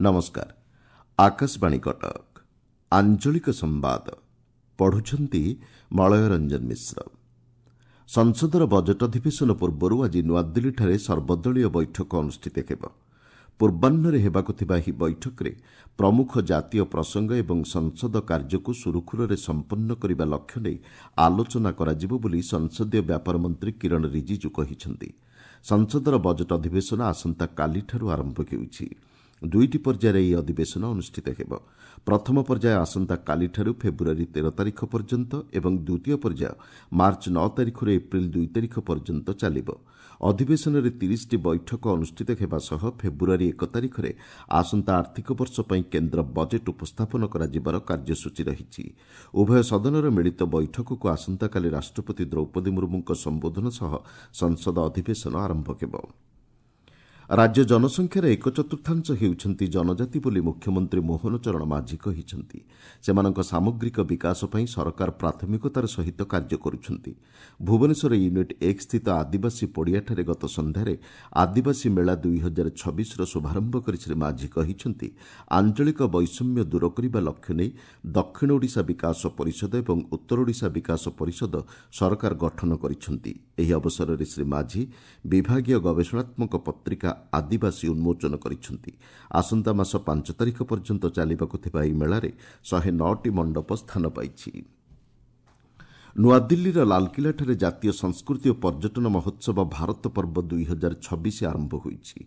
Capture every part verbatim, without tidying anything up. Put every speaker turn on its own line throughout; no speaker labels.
ନମସ୍କାର, ଆକାଶବାଣୀ କଟକ। ଆଞ୍ଚଳିକ ସମ୍ବାଦ ପଢୁଛନ୍ତି ମଳୟ ରଞ୍ଜନ ମିଶ୍ର। ସଂସଦର ବଜେଟ୍ ଅଧିବେଶନ ପୂର୍ବରୁ ଆଜି ନୂଆଦିଲ୍ଲୀଠାରେ ସର୍ବଦଳୀୟ ବୈଠକ ଅନୁଷ୍ଠିତ ହେବ। ପୂର୍ବାହ୍ନରେ ହେବାକୁ ଥିବା ଏହି ବୈଠକରେ ପ୍ରମୁଖ ଜାତୀୟ ପ୍ରସଙ୍ଗ ଏବଂ ସଂସଦ କାର୍ଯ୍ୟକୁ ସୁରୁଖୁରୁରେ ସମ୍ପନ୍ନ କରିବା ଲକ୍ଷ୍ୟ ନେଇ ଆଲୋଚନା କରାଯିବ ବୋଲି ସଂସଦୀୟ ବ୍ୟାପାର ମନ୍ତ୍ରୀ କିରଣ ରିଜିଜୁ କହିଛନ୍ତି। ସଂସଦର ବଜେଟ୍ ଅଧିବେଶନ ଆସନ୍ତାକାଲିଠାରୁ ଆରମ୍ଭ ହେଉଛି। ଦୁଇଟି ପର୍ଯ୍ୟାୟରେ ଏହି ଅଧିବେଶନ ଅନୁଷ୍ଠିତ ହେବ। ପ୍ରଥମ ପର୍ଯ୍ୟାୟ ଆସନ୍ତାକାଲିଠାରୁ ଫେବୃଆରୀ ତେର ତାରିଖ ପର୍ଯ୍ୟନ୍ତ ଏବଂ ଦ୍ୱିତୀୟ ପର୍ଯ୍ୟାୟ ମାର୍ଚ୍ଚ ନଅ ତାରିଖରୁ ଏପ୍ରିଲ ଦୁଇ ତାରିଖ ପର୍ଯ୍ୟନ୍ତ ଚାଲିବ। ଅଧିବେଶନରେ ତିରିଶଟି ବୈଠକ ଅନୁଷ୍ଠିତ ହେବା ସହ ଫେବୃଆରୀ ଏକ ତାରିଖରେ ଆସନ୍ତା ଆର୍ଥିକ ବର୍ଷ ପାଇଁ କେନ୍ଦ୍ର ବଜେଟ୍ ଉପସ୍ଥାପନ କରାଯିବାର କାର୍ଯ୍ୟସୂଚୀ ରହିଛି। ଉଭୟ ସଦନର ମିଳିତ ବୈଠକକୁ ଆସନ୍ତାକାଲି ରାଷ୍ଟ୍ରପତି ଦ୍ରୌପଦୀ ମୁର୍ମୁଙ୍କ ସମ୍ବୋଧନ ସହ ସଂସଦ ଅଧିବେଶନ ଆରମ୍ଭ ହେବ। ରାଜ୍ୟ ଜନସଂଖ୍ୟାର ଏକ ଚତୁର୍ଥାଂଶ ହେଉଛନ୍ତି ଜନଜାତି ବୋଲି ମୁଖ୍ୟମନ୍ତ୍ରୀ ମୋହନ ଚରଣ ମାଝୀ କହିଛନ୍ତି। ସେମାନଙ୍କ ସାମଗ୍ରିକ ବିକାଶ ପାଇଁ ସରକାର ପ୍ରାଥମିକତାର ସହିତ କାର୍ଯ୍ୟ କରୁଛନ୍ତି। ଭୁବନେଶ୍ୱର ୟୁନିଟ୍ ଏକ ସ୍ଥିତ ଆଦିବାସୀ ପଡ଼ିଆଠାରେ ଗତ ସନ୍ଧ୍ୟାରେ ଆଦିବାସୀ ମେଳା ଦୁଇ ହଜାର ଛବିଶର ଶୁଭାରମ୍ଭ କରି ଶ୍ରୀ ମାଝୀ କହିଛନ୍ତି, ଆଞ୍ଚଳିକ ବୈଷମ୍ୟ ଦୂର କରିବା ଲକ୍ଷ୍ୟ ନେଇ ଦକ୍ଷିଣ ଓଡ଼ିଶା ବିକାଶ ପରିଷଦ ଏବଂ ଉତ୍ତର ଓଡ଼ିଶା ବିକାଶ ପରିଷଦ ସରକାର ଗଠନ କରିଛନ୍ତି। ଏହି ଅବସରରେ ଶ୍ରୀ ମାଝୀ ବିଭାଗୀୟ ଗବେଷଣାତ୍ମକ ପତ୍ରିକା ଆଦିବାସୀ ଉନ୍ମୋଚନ କରିଛନ୍ତି। ଆସନ୍ତା ମାସ ପାଞ୍ଚ ତାରିଖ ପର୍ଯ୍ୟନ୍ତ ଚାଲିବାକୁ ଥିବା ଏହି ମେଳାରେ ଶହେ ନଅଟି ମଣ୍ଡପ ସ୍ଥାନ ପାଇଛି। ନୂଆଦିଲ୍ଲୀର ଲାଲକିଲ୍ଲାଠାରେ ଜାତୀୟ ସଂସ୍କୃତି ଓ ପର୍ଯ୍ୟଟନ ମହୋତ୍ସବ ଭାରତ ପର୍ବ ଦୁଇ ହଜାର ଛବିଶ ଆରମ୍ଭ ହୋଇଛି।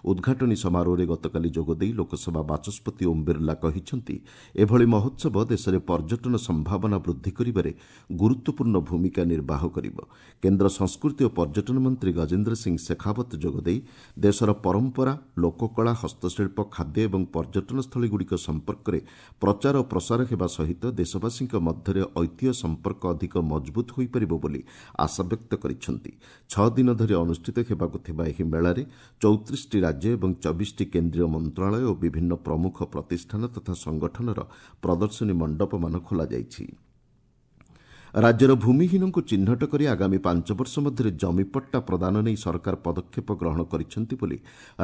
ଉଦ୍ଘାଟନୀ ସମାରୋହରେ ଗତକାଲି ଯୋଗଦେଇ ଲୋକସଭା ବାଚସ୍ପତି ଓମ୍ ବିର୍ଲା କହିଛନ୍ତି, ଏଭଳି ମହୋତ୍ସବ ଦେଶରେ ପର୍ଯ୍ୟଟନ ସମ୍ଭାବନା ବୃଦ୍ଧି କରିବାରେ ଗୁରୁତ୍ୱପୂର୍ଣ୍ଣ ଭୂମିକା ନିର୍ବାହ କରିବ। କେନ୍ଦ୍ର ସଂସ୍କୃତି ଓ ପର୍ଯ୍ୟଟନ ମନ୍ତ୍ରୀ ଗଜେନ୍ଦ୍ର ସିଂ ଶେଖାବତ ଯୋଗଦେଇ ଦେଶର ପରମ୍ପରା, ଲୋକକଳା, ହସ୍ତଶିଳ୍ପ, ଖାଦ୍ୟ ଏବଂ ପର୍ଯ୍ୟଟନସ୍ଥଳୀଗୁଡ଼ିକ ସମ୍ପର୍କରେ ପ୍ରଚାର ଓ ପ୍ରସାର ହେବା ସହିତ ଦେଶବାସୀଙ୍କ ମଧ୍ୟରେ ଐତିହ୍ୟ ସମ୍ପର୍କ ଅଧିକ ମଜବୁତ ହୋଇପାରିବ ବୋଲି ଆଶାବ୍ୟକ୍ତ କରିଛନ୍ତି। ଛଅ ଦିନ ଧରି ଅନୁଷ୍ଠିତ ହେବାକୁ ଥିବା ଏହି ମେଳାରେ ଚଉତିରିଶଟି ରାଜ୍ୟ ଏବଂ ଚବିଶଟି କେନ୍ଦ୍ରୀୟ ମନ୍ତ୍ରଣାଳୟ ଓ ବିଭିନ୍ନ ପ୍ରମୁଖ ପ୍ରତିଷ୍ଠାନ ତଥା ସଂଗଠନର ପ୍ରଦର୍ଶନୀ ମଣ୍ଡପମାନ ଖୋଲାଯାଇଛି। ରାଜ୍ୟର ଭୂମିହୀନଙ୍କୁ ଚିହ୍ନଟ କରି ଆଗାମୀ ପାଞ୍ଚ ବର୍ଷ ମଧ୍ୟରେ ଜମିପଟ୍ଟା ପ୍ରଦାନ ନେଇ ସରକାର ପଦକ୍ଷେପ ଗ୍ରହଣ କରିଛନ୍ତି ବୋଲି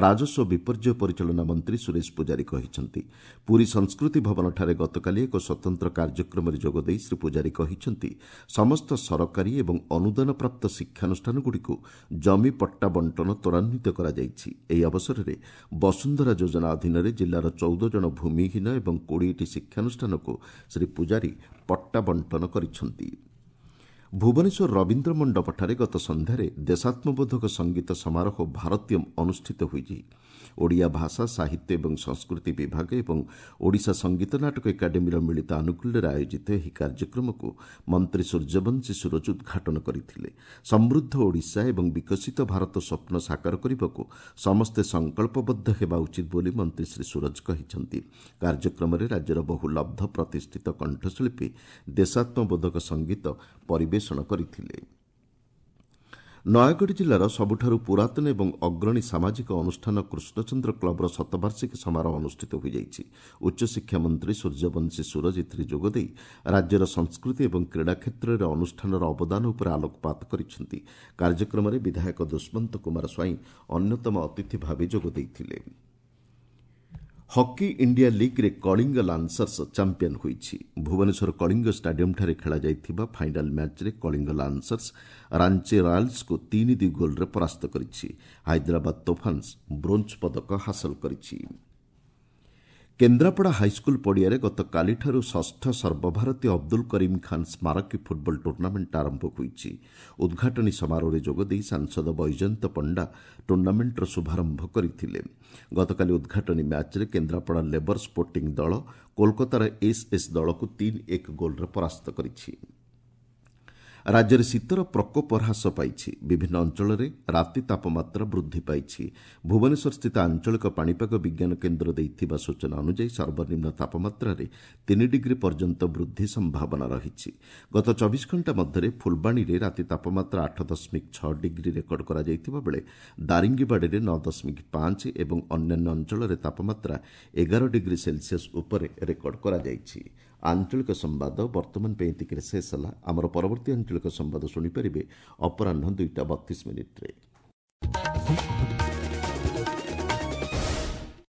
ରାଜସ୍ୱ ବିପର୍ଯ୍ୟୟ ପରିଚାଳନା ମନ୍ତ୍ରୀ ସୁରେଶ ପୂଜାରୀ କହିଛନ୍ତି। ପୁରୀ ସଂସ୍କୃତି ଭବନଠାରେ ଗତକାଲି ଏକ ସ୍ୱତନ୍ତ୍ର କାର୍ଯ୍ୟକ୍ରମରେ ଯୋଗଦେଇ ଶ୍ରୀ ପୂଜାରୀ କହିଛନ୍ତି, ସମସ୍ତ ସରକାରୀ ଏବଂ ଅନୁଦାନପ୍ରାପ୍ତ ଶିକ୍ଷାନୁଷ୍ଠାନଗୁଡ଼ିକୁ ଜମି ପଟ୍ଟା ବଣ୍ଟନ ତ୍ୱରାନ୍ୱିତ କରାଯାଇଛି। ଏହି ଅବସରରେ ବସୁନ୍ଧରା ଯୋଜନା ଅଧୀନରେ ଜିଲ୍ଲାର ଚଉଦ ଜଣ ଭୂମିହୀନ ଏବଂ କୋଡ଼ିଏଟି ଶିକ୍ଷାନୁଷ୍ଠାନକୁ ଶ୍ରୀ ପୂଜାରୀ ପଟ୍ଟା ବଣ୍ଟନ କରିଛନ୍ତି। ଭୁବନେଶ୍ୱର ରବୀନ୍ଦ୍ର ମଣ୍ଡପଠାରେ ଗତ ସନ୍ଧ୍ୟାରେ ଦେଶାତ୍ମବୋଧକ ସଙ୍ଗୀତ ସମାରୋହ ଭାରତୀୟମ୍ ଅନୁଷ୍ଠିତ ହୋଇଛି। ଓଡ଼ିଆ ଭାଷା, ସାହିତ୍ୟ ଏବଂ ସଂସ୍କୃତି ବିଭାଗ ଏବଂ ଓଡ଼ିଶା ସଙ୍ଗୀତ ନାଟକ ଏକାଡେମୀର ମିଳିତ ଆନୁକୂଲ୍ୟରେ ଆୟୋଜିତ ଏହି କାର୍ଯ୍ୟକ୍ରମକୁ ମନ୍ତ୍ରୀ ସୂର୍ଯ୍ୟବଂଶୀ ସୂରଜ ଉଦ୍ଘାଟନ କରିଥିଲେ। ସମୃଦ୍ଧ ଓଡ଼ିଶା ଏବଂ ବିକଶିତ ଭାରତ ସ୍ୱପ୍ନ ସାକାର କରିବାକୁ ସମସ୍ତେ ସଂକଳ୍ପବଦ୍ଧ ହେବା ଉଚିତ ବୋଲି ମନ୍ତ୍ରୀ ଶ୍ରୀ ସୂରଜ କହିଛନ୍ତି। କାର୍ଯ୍ୟକ୍ରମରେ ରାଜ୍ୟର ବହୁ ଲବ୍ଧ ପ୍ରତିଷ୍ଠିତ କଣ୍ଠଶିଳ୍ପୀ ଦେଶାତ୍ମବୋଧକ ସଙ୍ଗୀତ ପରିବେଷଣ କରିଥିଲେ। ନୟାଗଡ଼ ଜିଲ୍ଲାର ସବୁଠାରୁ ପୁରାତନ ଏବଂ ଅଗ୍ରଣୀ ସାମାଜିକ ଅନୁଷ୍ଠାନ କୃଷ୍ଣଚନ୍ଦ୍ର କ୍ଲବର ଶତବାର୍ଷିକୀ ସମାରୋହ ଅନୁଷ୍ଠିତ ହୋଇଯାଇଛି। ଉଚ୍ଚଶିକ୍ଷା ମନ୍ତ୍ରୀ ସୂର୍ଯ୍ୟବଂଶୀ ସୂରଜ ଏଥିରେ ଯୋଗଦେଇ ରାଜ୍ୟର ସଂସ୍କୃତି ଏବଂ କ୍ରୀଡ଼ା କ୍ଷେତ୍ରରେ ଅନୁଷ୍ଠାନର ଅବଦାନ ଉପରେ ଆଲୋକପାତ କରିଛନ୍ତି। କାର୍ଯ୍ୟକ୍ରମରେ ବିଧାୟକ ଦୁଷ୍ମନ୍ତ କୁମାର ସ୍ୱାଇଁ ଅନ୍ୟତମ ଅତିଥି ଭାବେ ଯୋଗ ଦେଇଥିଲେ। ହକି ଇଣ୍ଡିଆ ଲିଗ୍ରେ କଳିଙ୍ଗ ଲାନ୍ସର୍ସ ଚାମ୍ପିୟନ୍ ହୋଇଛି। ଭୁବନେଶ୍ୱର କଳିଙ୍ଗ ଷ୍ଟାଡିୟମ୍ଠାରେ ଖେଳାଯାଇଥିବା ଫାଇନାଲ୍ ମ୍ୟାଚ୍ରେ କଳିଙ୍ଗ ଲାନ୍ସର୍ସ ରାଞ୍ଚି ରୟାଲ୍ସକୁ ତିନି ଦୁଇ ଗୋଲ୍ରେ ପରାସ୍ତ କରିଛି। ହାଇଦ୍ରାବାଦ ତୋଫାନ୍ସ ବ୍ରୋଞ୍ଜ ପଦକ ହାସଲ କରିଛି। କେନ୍ଦ୍ରାପଡ଼ା ହାଇସ୍କୁଲ ପଡ଼ିଆରେ ଗତକାଲିଠାରୁ ଷଷ୍ଠ ସର୍ବଭାରତୀୟ ଅବଦୁଲ କରିମ୍ ଖାନ୍ ସ୍ମାରକୀ ଫୁଟବଲ ଟୁର୍ଣ୍ଣାମେଣ୍ଟ ଆରମ୍ଭ ହୋଇଛି। ଉଦ୍ଘାଟନୀ ସମାରୋହରେ ଯୋଗଦେଇ ସାଂସଦ ବୈଜୟନ୍ତ ପଣ୍ଡା ଟୁର୍ଣ୍ଣାମେଣ୍ଟର ଶୁଭାରମ୍ଭ କରିଥିଲେ। ଗତକାଲି ଉଦ୍ଘାଟନୀ ମ୍ୟାଚ୍ରେ କେନ୍ଦ୍ରାପଡ଼ା ଲେବର ସ୍ପୋର୍ଟିଂ ଦଳ କୋଲକାତାର ଏସ୍ଏସ୍ ଦଳକୁ ତିନି ଏକ ଗୋଲ୍ରେ ପରାସ୍ତ କରିଛି। ରାଜ୍ୟରେ ଶୀତର ପ୍ରକୋପ ହ୍ରାସ ପାଇଛି। ବିଭିନ୍ନ ଅଞ୍ଚଳରେ ରାତି ତାପମାତ୍ରା ବୃଦ୍ଧି ପାଇଛି। ଭୁବନେଶ୍ୱରସ୍ଥିତ ଆଞ୍ଚଳିକ ପାଣିପାଗ ବିଜ୍ଞାନ କେନ୍ଦ୍ର ଦେଇଥିବା ସୂଚନା ଅନୁଯାୟୀ ସର୍ବନିମ୍ନ ତାପମାତ୍ରାରେ ତିନି ଡିଗ୍ରୀ ପର୍ଯ୍ୟନ୍ତ ବୃଦ୍ଧି ସମ୍ଭାବନା ରହିଛି। ଗତ ଚବିଶ ଘଣ୍ଟା ମଧ୍ୟରେ ଫୁଲବାଣୀରେ ରାତି ତାପମାତ୍ରା ଆଠ ଦଶମିକ ଛଅ ଡିଗ୍ରୀ ରେକର୍ଡ କରାଯାଇଥିବା ବେଳେ ଦାରିଙ୍ଗିବାଡ଼ିରେ ନଅ ଦଶମିକ ପାଞ୍ଚ ଏବଂ ଅନ୍ୟାନ୍ୟ ଅଞ୍ଚଳରେ ତାପମାତ୍ରା ଏଗାର ଡିଗ୍ରୀ ସେଲସିୟସ୍ ଉପରେ ରେକର୍ଡ କରାଯାଇଛି। ଆଞ୍ଚଳିକ ସମ୍ବାଦ ବର୍ତ୍ତମାନ ପାଇଁ ଏତିକିରେ ଶେଷ ହେଲା। ଆମର ପରବର୍ତ୍ତୀ ଆଞ୍ଚଳିକ ସମ୍ବାଦ ଶୁଣିପାରିବେ ଅପରାହ୍ନ ଦୁଇଟା ବତିଶ ମିନିଟ୍ରେ।